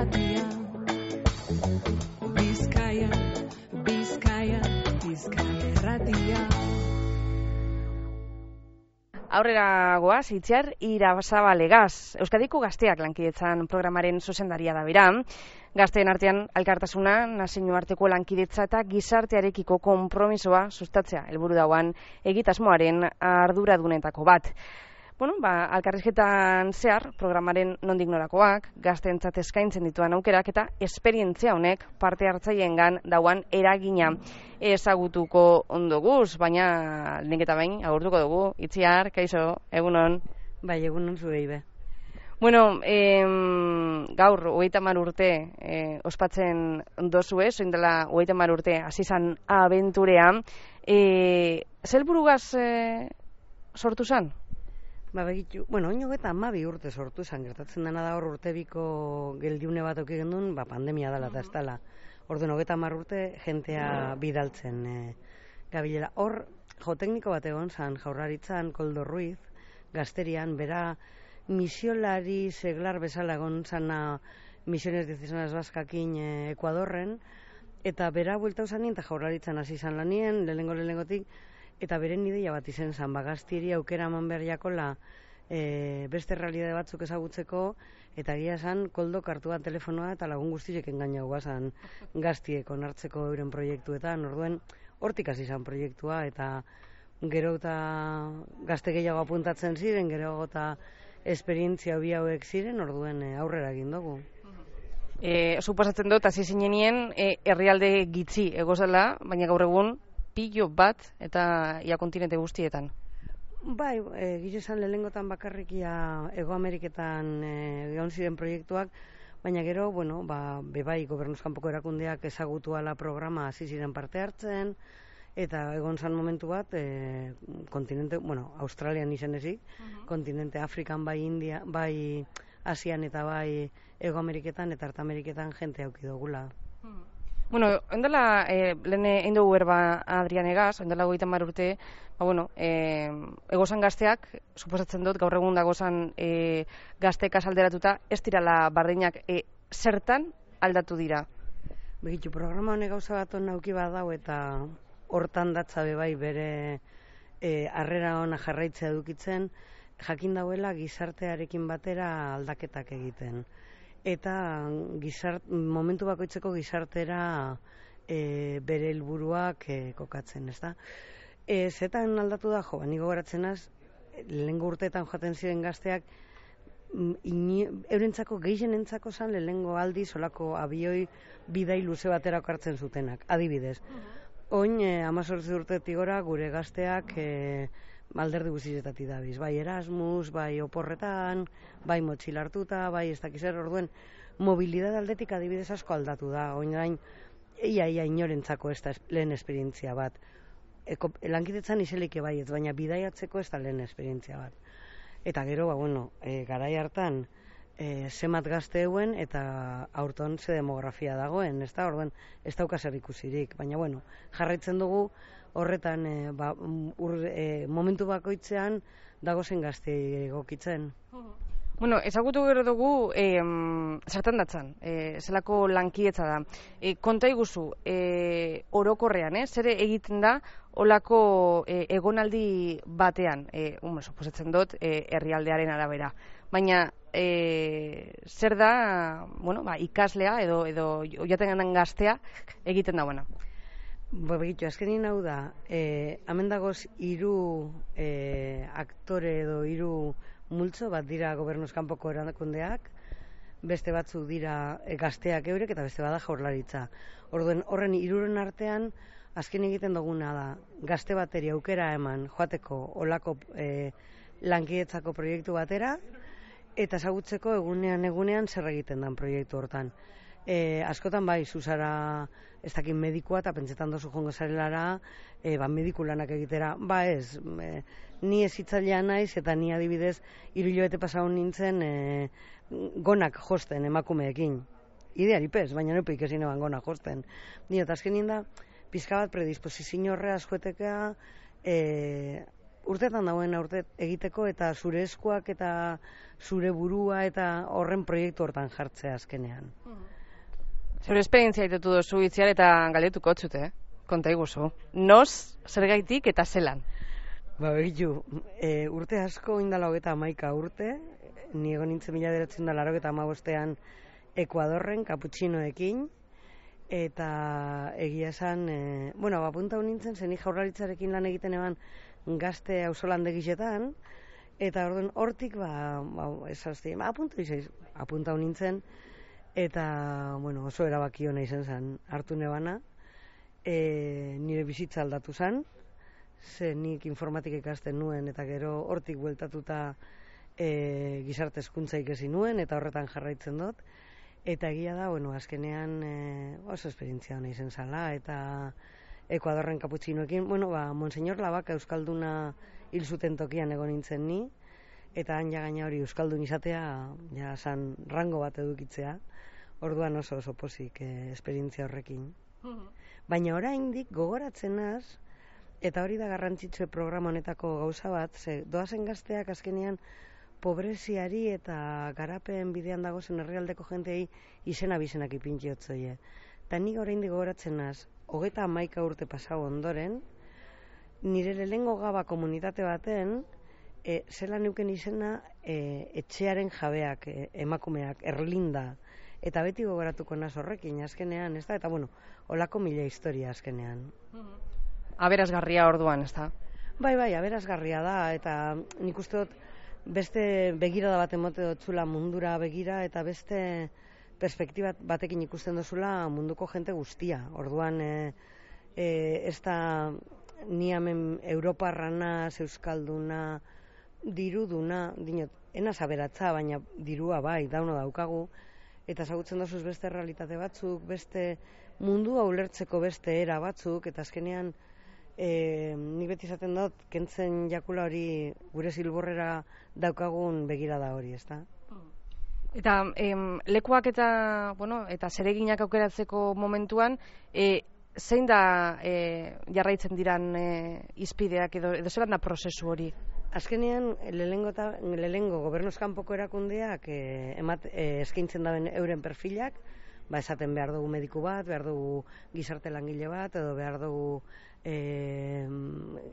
Irratia. Bizkaia, Bizkaia, Bizkaia Irratia. Aurrera goaz, Itziar Irazabalegaz. Euskadiko Gazteak lankidetzan programaren zuzendaria da bera. Gazteen artean elkartasuna, nazioarteko lankidetza eta gizartearekiko konpromisoa sustatzea helburu dauan egitasmoaren arduradunetako bat. Elkarrizketan zehar programaren nondik norakoak, gazteentzat eskaintzen dituan aukerak eta esperientzia honek parte hartzaileengan dauan eragina ezagutuko ondoguz, baina lehenik eta behin agurtuko dugu. Itziar, kaixo, egunon. Bai, egunon zuei be. Gaur, 30 urte ospatzen dozue, zoin dela 30 urte hasi zan abenturea. Zer burugaz sortu zan? Begitu, oin hogeta 12 urte sortu zan, gertatzen dena da hor urtebiko geldiune bat auki gendun, pandemia dela eta ez dela. Orduan 30 urte jentea bidaltzen gabilela. Hor, tekniko bat egon zan, Jaurlaritzan, Koldo Ruiz, Gazterian, bera misiolari seglar bezala egon zana Misiones Diocesanas Baskakin Ekuadorren, eta bera buelta usanien eta Jaurlaritzan hasi zan lanien, lehenengotik, eta beren ideia bat izen zan, Gaztieri aukera eman behar jakola beste realidade batzuk ezagutzeko, eta egia zan, Koldok hartu bat telefonoa eta lagun guztiek engaina guazan Gaztiek onartzeko euren proiektuetan. Orduen, hortik hasi zan proiektua, eta gero eta gazte gehiago apuntatzen ziren, gero eta esperientzia bi hauek ziren, orduen aurrera egin dugu. Suposatzen dut, hasi zinenien, herrialde gitzi egozela, baina gaur egun pilo bat eta ia kontinente guztietan. Bai, gizan lehengotan bakarrikia Ego Ameriketan egon ziren proiektuak, baina gero, bebai gobernuz kanpoko erakundeak ezagutu ala programa hasi ziren parte hartzen, eta egon zan momentu bat, kontinente, Australian izen ezik, kontinente Afrikan, bai India, bai Asian eta bai Ego Ameriketan eta Arte Ameriketan jente auki dugula. Ondela, lehen egin dugu berba Adrianegaz, ondela 30 urte, egozan gazteak, suposatzen dut, gaur egun dagozan gazteekaz alderatuta, ez dirala bardinak, zertan aldatu dira? Begitu, programa honek gauza bat nauki bat dau, eta hortan datza bebai bere harrera ona jarraitzea edukitzen, jakin dauela gizartearekin batera aldaketak egiten. Eta momentu bakoitzeko gizartera bere helburuak kokatzen, ez da? Zetan aldatu da, niko goratzen az, lehengo urteetan joaten ziren gazteak, eurentzako gehienentzako zan lehengo aldi solako abioi bidai luze baterako hartzen zutenak, adibidez. Oin, 18 urtetik gora gure gazteak alderdi guztietatik dabiz, bai Erasmus, bai oporretan, bai motxila hartuta, bai ez dakizer, orduen mobilidad aldetik adibidez asko aldatu da, oin ia inorentzako ez da lehen esperientzia bat. Lankidetzan izelik bai ez, baina bidaiatzeko ez da lehen esperientzia bat. Eta gero, garai hartan, zemat gazte euen eta aurton ze demografia dagoen, ez da, orduen ez dauka zer ikusirik, baina jarraitzen dugu horretan momentu bakoitzean dagozen gazte egokitzen. Ezagutu gero dugu zertan datzan, zelako lankidetza da. Konta iguzu, orokorrean, zer egiten da olako egonaldi batean, suposatzen dut, herrialdearen arabera. Baina, zer da, ikaslea edo joaten gaztea egiten da, Begitu, azkenin hau da, hemen dagoz 3 aktore edo 3 multzo bat dira gobernuz kanpoko erakundeak, beste batzuk dira gazteak eurek eta beste bada Jaurlaritza. Orduen horren 3 artean, azken egiten duguna da, gazte bateri aukera eman joateko olako lankidetzako proiektu batera, eta ezagutzeko egunean zer egiten den proiektu hortan. Askotan bai, zuzara ez dakin medikua eta pentsetan dozu jongo zarelara mediku lanak egitera. Ez, ni ez hitzailea naiz eta ni adibidez 3 hilabete pasau nintzen gonak josten emakumeekin. Idearipez, baina neupik ezin eban gonak josten. Ni eta azkenin da, pizka bat predisposizio horreaz joetekea urtetan dagoen urte egiteko eta zure eskuak eta zure burua eta horren proiektu hortan jartzea azkenean. Zure esperientzia itetu duzu itziar eta galdetuko txute, konta iguzu. Noz, zergaitik eta zelan? Ba, begitu, urte asko indala 31 urte, ni egon nintzen 1985ean Ekuadorren, kaputxinoekin, eta egia esan, apunta nintzen, zen jaurlaritzarekin lan egiten eban gazte auzolandegisetan, eta orduan hortik, apunta nintzen, eta, oso erabaki hona izen zen, hartu nebana, nire bizitza aldatu zen, ze nik informatik ikasten nuen, eta gero hortik bueltatuta gizarte hezkuntza ikasi nuen, eta horretan jarraitzen dut, eta egia da, azkenean oso esperientzia hona izen zala, eta Ekuadorren kaputxinoekin, Monseñor Labaka euskalduna hil zuten tokian egon nintzen ni, eta han gaina hori euskaldun izatea, san rango bat edukitzea, orduan oso pozik esperientzia horrekin. Baina oraindik gogoratzen naz, eta hori da garrantzitsue programa honetako gauza bat, ze doazen gazteak azkenean pobreziari eta garapen bidean dagozen herrialdeko jentei izena bizenak ipintziotzoie. Eta nik oraindik gogoratzen naz, 31 urte pasau ondoren, nire lehengo gaba komunitate baten, zela neuken izena etxearen jabeak, emakumeak, Erlinda, eta beti gogoratuko naz horrekin azkenean, ez da? Eta holako mila historia azkenean. Aberasgarria orduan, ez da? Bai, aberasgarria da, eta nik uste dut beste begirada bat emote dotzula mundura begira, eta beste perspektiba batekin ikusten dozula munduko jente guztia. Orduan, ez da ni hemen Europarrana, euskalduna, diruduna, dinot, enaz aberatza, baina dirua bai, dauno daukagu, eta ezagutzen dozuz beste realitate batzuk, beste mundua ulertzeko beste era batzuk, eta azkenean nik beti izaten dut, kentzen jakula hori gure zilborrera daukagun begirada hori, ez da? Eta lekuak eta zereginak aukeratzeko momentuan, zein da jarraitzen diran izpideak edo zelan da prozesu hori? Azkenean, lehengo gobernuz kanpoko erakundeak eskaintzen daben euren perfilak, esaten behar dugu mediku bat, behar dugu gizarte langile bat, edo behar dugu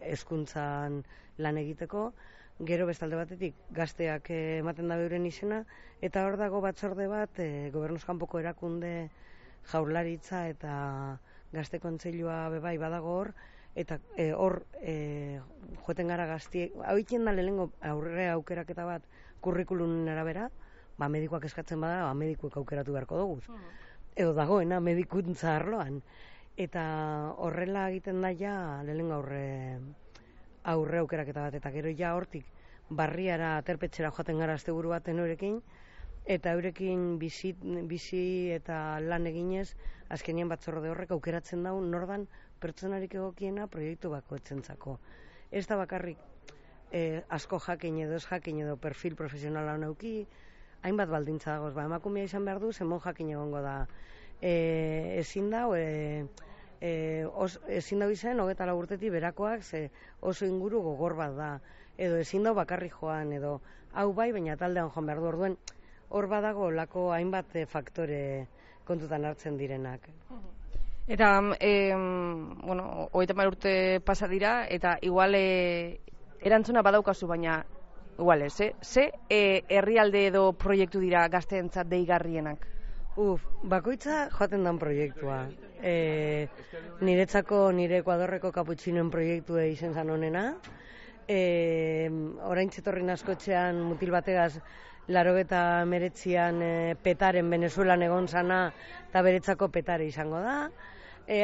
hezkuntzan lan egiteko, gero bestalde batetik gazteak ematen da euren izena, eta hor dago batzorde bat, gobernuz kanpoko erakunde jaurlaritza eta gazte kontseilua bebai badago hor, eta hor joeten gara gaztiek, hau itien da lehenengo aurre aukeraketa bat kurrikulunen arabera, medikuak eskatzen bada, medikuek aukeratu beharko dugu. Edo dagoena medikuntza arloan. Eta horrela egiten da ja lehenengo aurre aukeraketa bat, eta gero ja hortik barriara aterpetxera joaten gara asteburu baten eurekin, eta eurekin bizi eta lan eginez, azkenien batzorde horrek aukeratzen daun nordan pertsonarik egokiena proiektu bakoetzentzako. Ez da bakarrik asko jakin edo ez jakin edo perfil profesionala honeuki, hainbat baldintza dagoz, emakumea izan behar du, zemon jakin egongo da. Ezin dau izan 24 urtetik berakoak, ze oso inguru gogor bat da, edo ezin dau bakarrik joan, edo hau bai, baina taldean joan behar du, orduen hor badago lako hainbat faktore kontutan hartzen direnak. Eta, 30 urte pasa dira, eta igual erantzuna badaukazu, baina igual ez, ze herrialde edo proiektu dira gazteentzat deigarrienak? Bakoitza joaten dan proiektua. Niretzako nire Ekuadorreko kaputxinoen proiektua izen zan honena. Orain txetorrin askotxean mutil bategaz 89an petaren Venezuelan egon zana eta beretzako petare izango da.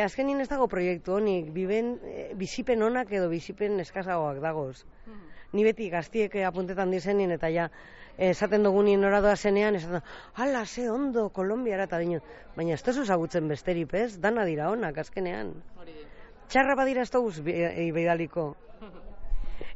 Azkenin ez dago proiektu honik, bizipen onak edo bizipen eskazagoak dagoz. Ni beti gaztiek apuntetan dizenien eta ja esaten dugunien oradoa zenean, esaten ala, ze ondo, Kolombiara eta dino. Baina ez tezu zagutzen besterip ez, dana dira onak azkenean. Txarra badira ez dugu beidaliko.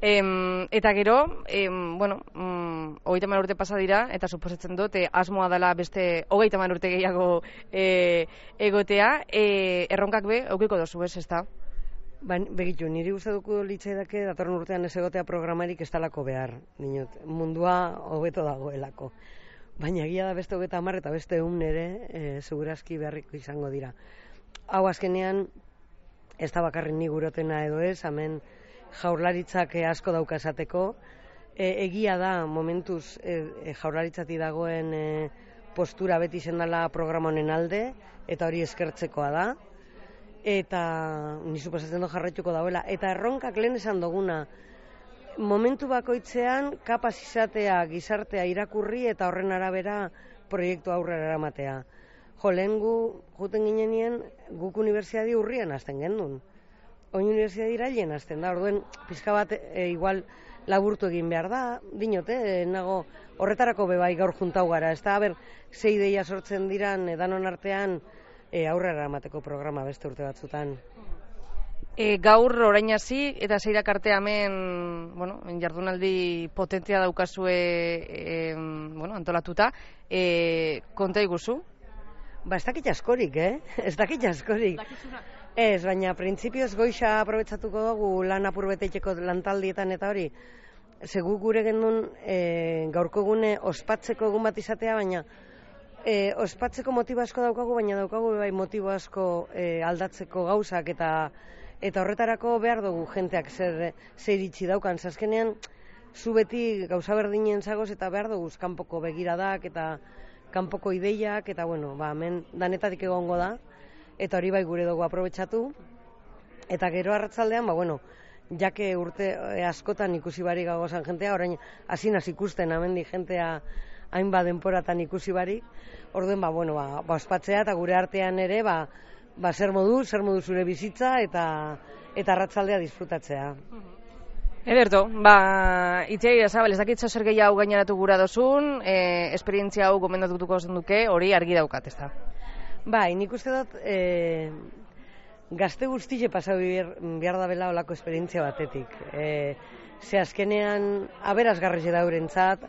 Eta gero, 30 urte pasa dira, eta suposatzen dut, asmoa dela beste 30 urte gehiago egotea, erronkak be, eukiko dozu ez da? Begitu, niri uste dugu litzaidake datorren urtean ez egotea programarik ez talako behar, dinot, mundua hobeto dagoelako. Baina egia da beste 30 eta beste 100 ere, segurazki beharriko izango dira. Hau azkenean, ez da bakarrik ni gurotena edo ez, hemen jaurlaritzak asko dauka esateko. Egia da, momentuz jaurlaritzatik dagoen postura beti zendala programa honen alde, eta hori eskertzekoa da. Eta ni suposatzen dut jarraituko dauela. Eta erronkak lehen esan duguna, momentu bakoitzean kapaz izatea gizartea irakurri eta horren arabera proiektu aurrera eramatea. Lehen juten ginenien guk unibertsiadi urrian hasten gendun. Oin unibertsiadi irailen hasten da, orduen pizka bat igual laburtu egin behar da, dinote, nago horretarako bebai gaur juntau gara, ez da, ze ideia sortzen diran danon artean aurrera emateko programa beste urte batzutan. Gaur orain hasi eta zeirak arte hemen, jardunaldi potentzia daukazue antolatuta, konta iguzu? Ez dakit askorik, Ez dakit askorik. Ez, baina printzipioz goixa aprobetsatuko dugu lan apur beteiteko lantaldietan eta hori. Segu gure gendun gaurko gune ospatzeko egun bat izatea, baina ospatzeko motibo asko daukagu, baina daukagu bai motibo asko aldatzeko gauzak eta horretarako behar dugu jenteak zer iritsi daukan. Azkenean, zu beti gauza berdinen zagoz eta behar dugu kanpoko begiradak eta kanpoko ideiak, eta hemen danetatik egongo da, eta hori bai gure dugu aprobetsatu. Eta gero arratzaldean, jake urte askotan ikusi barik gagozan jentea, orain hasinaz ikusten amendi jentea hainbat denporatan ikusi barik, orduen ospatzea eta gure artean ere zer modu zure bizitza eta arratzaldea disfrutatzea. Ederto, itziai Zabal, ez dakitzo zer gehiago gaineratu gura dozun, esperientzia hau gomendatuko zen duke, hori argi daukat, ez da? Nik uste dut gazte guztie pasau behar da bela olako esperientzia batetik. Ze azkenean aberasgarri daurentzat,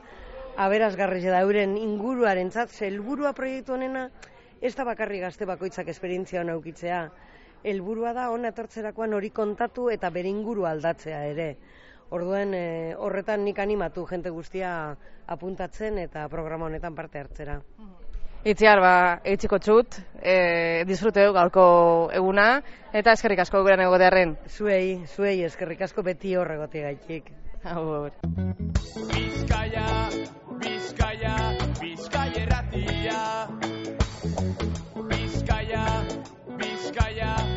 aberasgarri dauren inguruarentzat, ze helburua proiektu honena ez da bakarri gazte bakoitzak esperientzia hona aukitzea. Helburua da hona etortzerakoan hori kontatu eta bere inguru aldatzea ere. Orduen horretan nik animatu jente guztia apuntatzen eta programa honetan parte hartzera. Itziar, eitziko txut, disfruteu gaurko eguna, eta eskerrik asko gurean egotearren. Zuei eskerrik asko beti horregote gaitik. Agur. Bizkaia, Bizkaia, Bizkaia erratia. Bizkaia, Bizkaia.